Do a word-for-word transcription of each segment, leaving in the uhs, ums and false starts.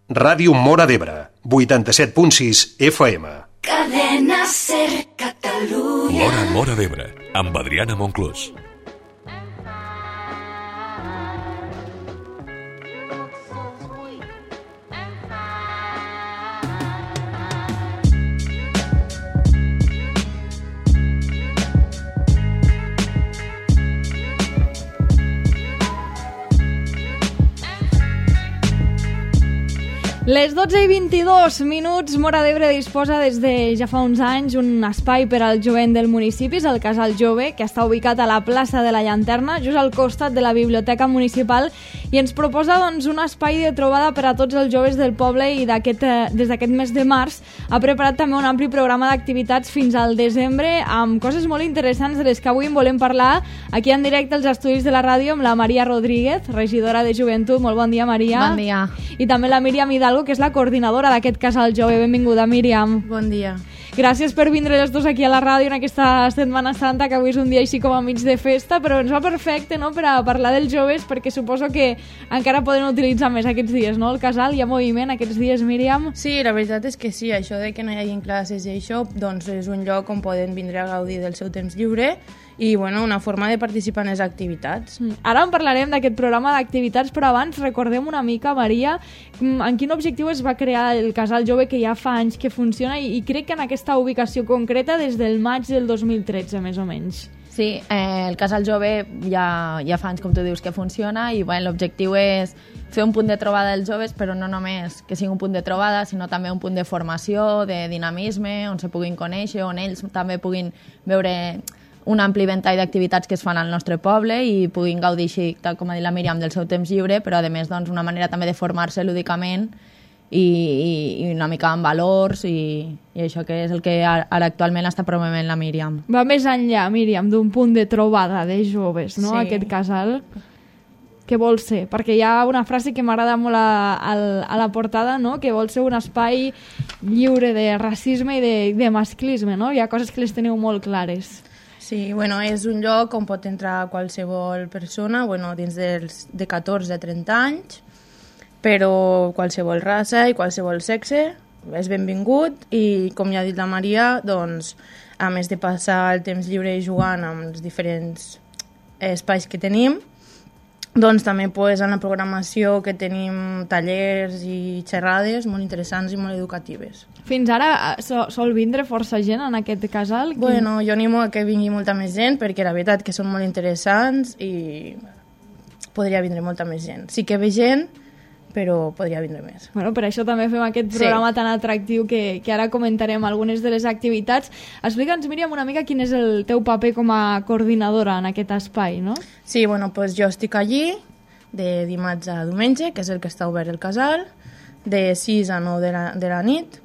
Ràdio Móra d'Ebre, vuitanta-set punt sis F M. Cadena Ser Catalunya. L'Hora Móra d'Ebre, amb Adriana Monclús. Les dotze i vint-i-dos minuts, Móra d'Ebre disposa des de ja fa uns anys un espai per al jovent del municipi, el Casal Jove, que està ubicat a la plaça de la Llanterna, just al costat de la Biblioteca Municipal, i ens proposa doncs, un espai de trobada per a tots els joves del poble i d'aquest, eh, des d'aquest mes de març ha preparat també un ampli programa d'activitats fins al desembre amb coses molt interessants de les que avui en volem parlar aquí en directe als estudis de la ràdio amb la Maria Rodríguez, regidora de Joventut. Molt bon dia, Maria. Bon dia. I també la Míriam Hidalgo, que és la coordinadora d'aquest Casal Jove. Benvinguda, Míriam. Bon dia. Gràcies per vindre les dos aquí a la ràdio en aquesta Setmana Santa, que avui és un dia així com a mig de festa, però ens va perfecte, no?, per a parlar dels joves, perquè suposo que encara poden utilitzar més aquests dies, no?, el casal. Hi ha moviment aquests dies, Míriam? Sí, la veritat és que sí, això de que no hi hagi classes i això, doncs és un lloc on poden vindre a gaudir del seu temps lliure i, bueno, una forma de participar en les activitats. Ara en parlarem d'aquest programa d'activitats, però abans recordem una mica, Maria, en quin objectiu es va crear el Casal Jove, que ja fa anys que funciona, i, i crec que en aquesta ubicació concreta des del maig del dos mil tretze, més o menys. Sí, eh, el Casal Jove ja, ja fa anys, com tu dius, que funciona, i bueno, l'objectiu és fer un punt de trobada dels joves, però no només que sigui un punt de trobada, sinó també un punt de formació, de dinamisme, on se puguin conèixer, on ells també puguin veure un ampli ventall d'activitats que es fan al nostre poble i puguin gaudir així, tal com ha dit la Míriam, del seu temps lliure, però a més doncs, una manera també de formar-se lúdicament i, i, i una mica amb valors i, i això que és el que ara, ara actualment està promovent la Míriam. Va més enllà, Míriam, d'un punt de trobada de joves, no?, Sí. aquest casal. Què vol ser? Perquè hi ha una frase que m'agrada molt a, a, a la portada, no?, que vol ser un espai lliure de racisme i de, de masclisme, no? Hi ha coses que les teniu molt clares. Sí, bueno, és un lloc on pot entrar qualsevol persona, bueno, dins dels, de catorze a trenta anys, però qualsevol raça i qualsevol sexe és benvingut i, com ja ha dit la Maria, doncs, a més de passar el temps lliure jugant amb els diferents espais que tenim, doncs també pues, en la programació que tenim tallers i xerrades molt interessants i molt educatives. Fins ara so, sol vindre força gent en aquest casal? Bueno, jo animo a que vingui molta més gent perquè la veritat que són molt interessants i podria vindre molta més gent. Sí que ve gent, però podria vindre més. Bueno, per això també fem aquest programa sí. tan atractiu que, que ara comentarem algunes de les activitats. Explica'ns, Míriam, una mica quin és el teu paper com a coordinadora en aquest espai, no? Sí, bueno, pues jo estic allí de dimarts a diumenge, que és el que està obert el casal, de sis a nou de la, de la nit.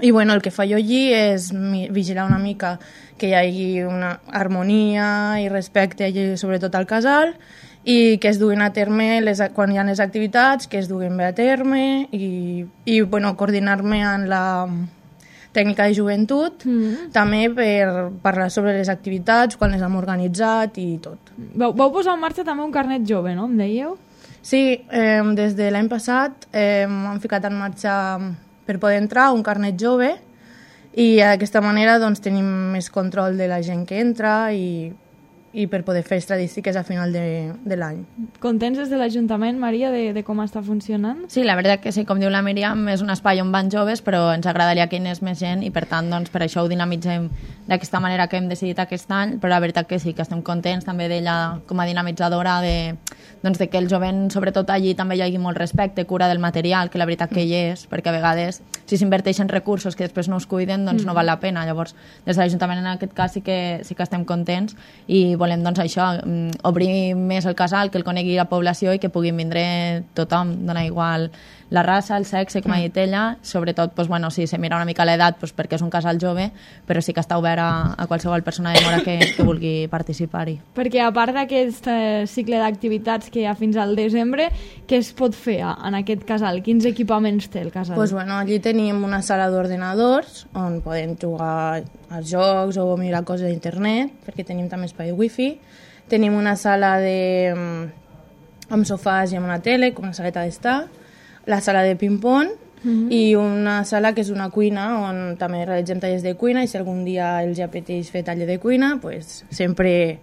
I bueno, el que fa jo allí és vigilar una mica que hi hagi una harmonia i respecte allí, sobretot al casal, i que es duguin a terme les, quan hi ha les activitats, que es duguin bé a terme i, i bueno, coordinar-me en la tècnica de joventut, mm-hmm. també per parlar sobre les activitats, quan les hem organitzat i tot. Vau, vau posar en marxa també un carnet jove, no? Em dèieu? Sí, eh, des de l'any passat eh, hem ficat en marxa per poder entrar un carnet jove i d'aquesta manera doncs, tenim més control de la gent que entra i, i per poder fer estadístiques a final de, de l'any. Contents des de l'Ajuntament, Maria, de, de com està funcionant? Sí, la veritat que sí, com diu la Míriam, és un espai on van joves, però ens agradaria que hi anés més gent i per tant, doncs, per això ho dinamitzem d'aquesta manera que hem decidit aquest any, però la veritat que sí, que estem contents també d'ella com a dinamitzadora de, doncs, de que el jovent, sobretot allí, també hi hagi molt respecte, cura del material, que la veritat que hi és, perquè a vegades si s'inverteixen recursos que després no es cuiden, doncs no val la pena. Llavors, des de l'Ajuntament en aquest cas sí que, sí que estem contents i volem doncs això, obrir més el casal, que el conegui la població i que puguin vindre tothom, dona igual la raça, el sexe, com ha dit ella, sobretot, doncs, bueno, si se mira una mica l'edat, doncs, perquè és un casal jove, però sí que està obert a, a qualsevol persona de Móra que, que vulgui participar-hi. Perquè a part d'aquest eh, cicle d'activitats que hi ha fins al desembre, què es pot fer en aquest casal? Quins equipaments té el casal? Pues, bueno, allí tenim una sala d'ordenadors on podem jugar als jocs o mirar coses d'internet, perquè tenim també espai de wifi. Tenim una sala de, amb sofàs i amb una tele, com una saleta d'estar, la sala de ping-pong mm-hmm. i una sala que és una cuina on també realitzem tallers de cuina i si algun dia els apeteix fer taller de cuina, pues, sempre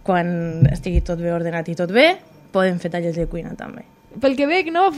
quan estigui tot bé ordenat i tot bé, podem fer tallers de cuina també. Pel que veig, no,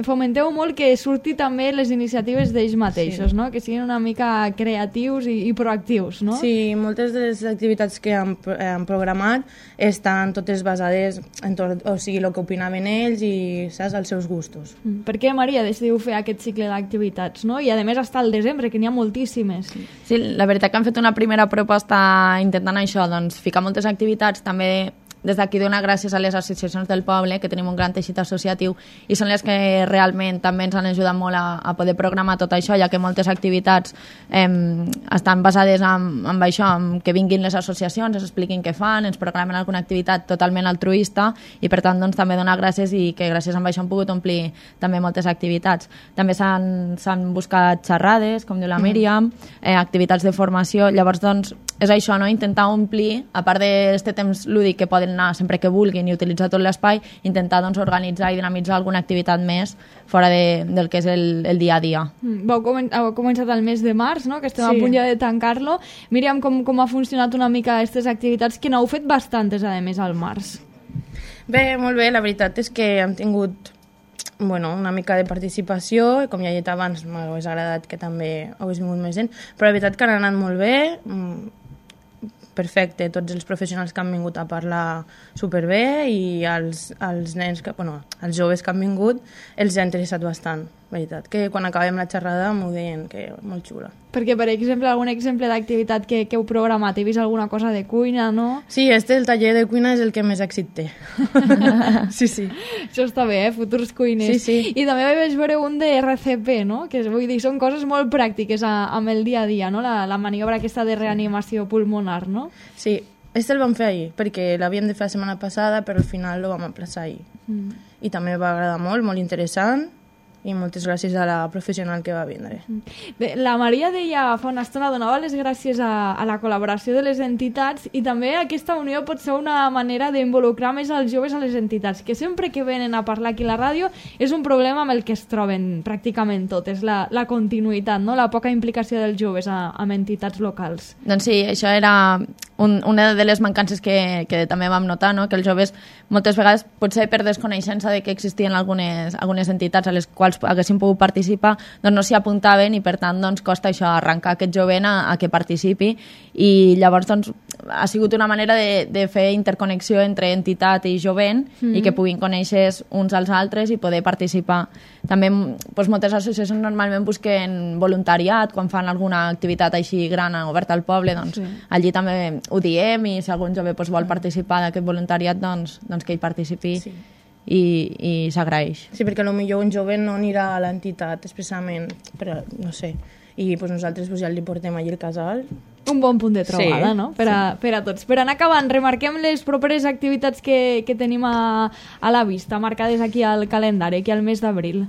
fomenteu molt que surti també les iniciatives d'ells mateixos, sí. no? Que siguin una mica creatius i, i proactius, no? Sí, moltes de les activitats que han, han programat estan totes basades en tot, o sigui, el que opinaven ells i, saps, els seus gustos. Per què, Maria, decidiu fer aquest cicle d'activitats, no? I a més està al desembre, que n'hi ha moltíssimes. Sí, la veritat que han fet una primera proposta intentant això, doncs ficar moltes activitats, també des d'aquí donar gràcies a les associacions del poble, que tenim un gran teixit associatiu i són les que realment també ens han ajudat molt a, a poder programar tot això, ja que moltes activitats eh, estan basades en, en això, en que vinguin les associacions, ens expliquin què fan, ens programen alguna activitat totalment altruista i per tant doncs, també donar gràcies i que gràcies a això han pogut omplir també moltes activitats. També s'han buscat xerrades, com diu la Míriam, eh, activitats de formació, llavors doncs és això, no? Intentar omplir, a part d'aquest temps lúdic que poden anar sempre que vulguin i utilitzar tot l'espai, intentar doncs, organitzar i dinamitzar alguna activitat més fora de, del que és el, el dia a dia. Mm, vau comen heu començat el mes de març, no? Que estem sí. a punt ja de tancar-lo. Míriam, com, com ha funcionat una mica aquestes activitats, que n'heu fet bastantes, a més, al març? Bé, molt bé, la veritat és que hem tingut bueno, una mica de participació, com ja he dit abans, m'hagués agradat que també hagués vingut més gent, però la veritat que han anat molt bé, perfecte, tots els professionals que han vingut a parlar superbé i els, els nens, que, bueno, els joves que han vingut els ha interessat bastant, veritat, que quan acabem la xerrada m'ho deien que molt xula. Perquè, per exemple, algun exemple d'activitat que, que heu programat, he vist alguna cosa de cuina, no? Sí, este, el taller de cuina és el que més èxit té. sí, sí. Això està bé, eh? Futurs cuiners. Sí, sí. I també vaig veure un de R C P, no? Que vull dir, són coses molt pràctiques a, amb el dia a dia, no? La, la maniobra aquesta de reanimació pulmonar, no? Sí, este el vam fer ahir, perquè l'havíem de fer la setmana passada, però al final el vam aplaçar ahir. Mm. I també va agradar molt, molt interessant, i moltes gràcies a la professional que va vindre. Bé, la Maria deia fa una estona, donava les gràcies a, a la col·laboració de les entitats i també aquesta unió pot ser una manera d'involucrar més els joves a les entitats, que sempre que venen a parlar aquí a la ràdio és un problema amb el que es troben pràcticament totes, la, la continuïtat, no? La poca implicació dels joves a, amb entitats locals. Doncs sí, això era un, una de les mancances que, que també vam notar, no? Que els joves moltes vegades, potser per desconeixença de que existien algunes, algunes entitats a les quals haguessin pogut participar, doncs no s'hi apuntaven i per tant doncs, costa això, arrencar aquest jovent a, a que participi i llavors doncs, ha sigut una manera de, de fer interconnexió entre entitat i jovent mm-hmm. i que puguin conèixer uns als altres i poder participar. També doncs, moltes associacions normalment busquen voluntariat quan fan alguna activitat així gran oberta al poble, doncs sí. allí també ho diem i si algun jove doncs, vol participar d'aquest voluntariat doncs, doncs que hi participi. Sí. i, i s'agraeix. Sí, perquè potser un jove no anirà a l'entitat expressament, però no sé, i pues, nosaltres pues, ja li portem allí el casal. Un bon punt de trobada, sí, no? Per a, sí. per a tots. Per anar acabant, remarquem les properes activitats que, que tenim a, a la vista, marcades aquí al calendari, aquí al mes d'abril.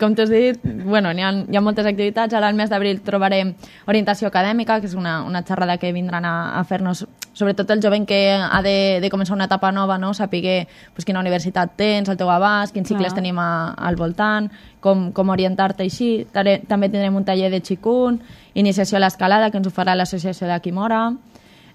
Com t'has dit, bueno, hi ha, hi ha moltes activitats. Ara al mes d'abril trobarem orientació acadèmica, que és una, una xerrada que vindran a, a fer-nos, sobretot el jovent que ha de, de començar una etapa nova, no? Saber pues, quina universitat tens, al teu abast, quins cicles Clar. tenim a, al voltant, com, com orientar-te així. També tindrem un taller de xicun, iniciació a l'escalada, que ens ho farà l'associació de Quimora.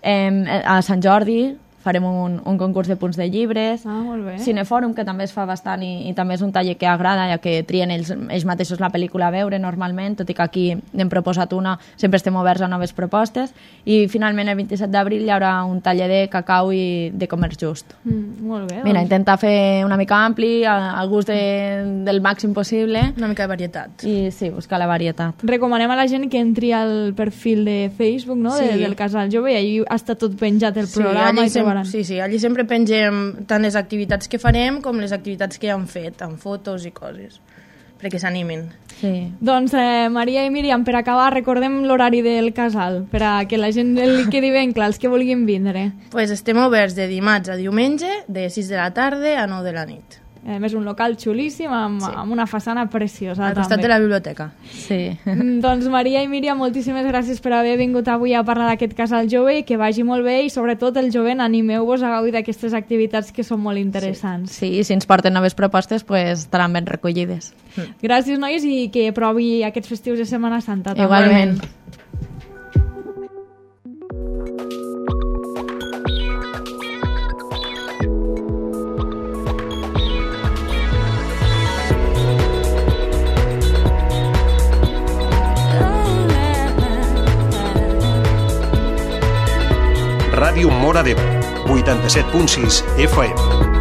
Eh, a Sant Jordi farem un, un concurs de punts de llibres. Ah, molt bé. Cinefòrum, que també es fa bastant i, i també és un taller que agrada, ja que trien ells, ells mateixos la pel·lícula a veure normalment, tot i que aquí n'hem proposat una, sempre estem oberts a noves propostes. I finalment el vint-i-set d'abril hi haurà un taller de cacau i de comerç just. Mm, molt bé. Mira, doncs. intentar fer una mica ampli, al gust de, del màxim possible. Una mica de varietat. I sí, buscar la varietat. Recomanem a la gent que entri al perfil de Facebook, no? Sí. de, del Casal Jove, i allí està tot penjat el programa. Sí, i trobaran. Sí, sí, allí sempre pengem tant les activitats que farem com les activitats que ja han fet, amb fotos i coses, perquè s'animin. Sí. Doncs, eh, Maria i Míriam, per acabar, recordem l'horari del casal, per a que la gent li quedi ben clar, els que vulguin vindre. Pues estem oberts de dimarts a diumenge, de sis de la tarda a nou de la nit. A més, un local xulíssim, amb, sí. amb una façana preciosa. Al costat també. de la biblioteca. Sí. Doncs Maria i Míriam, moltíssimes gràcies per haver vingut avui a parlar d'aquest casal jove, que vagi molt bé i sobretot el jovent, animeu-vos a gaudir d'aquestes activitats que són molt interessants. Sí, sí, si ens porten noves propostes, pues, estaran ben recollides. Gràcies, nois, i que provi aquests festius de Setmana Santa. També. Igualment. Ràdio Móra d'Ebre, vuitanta-set punt sis F M.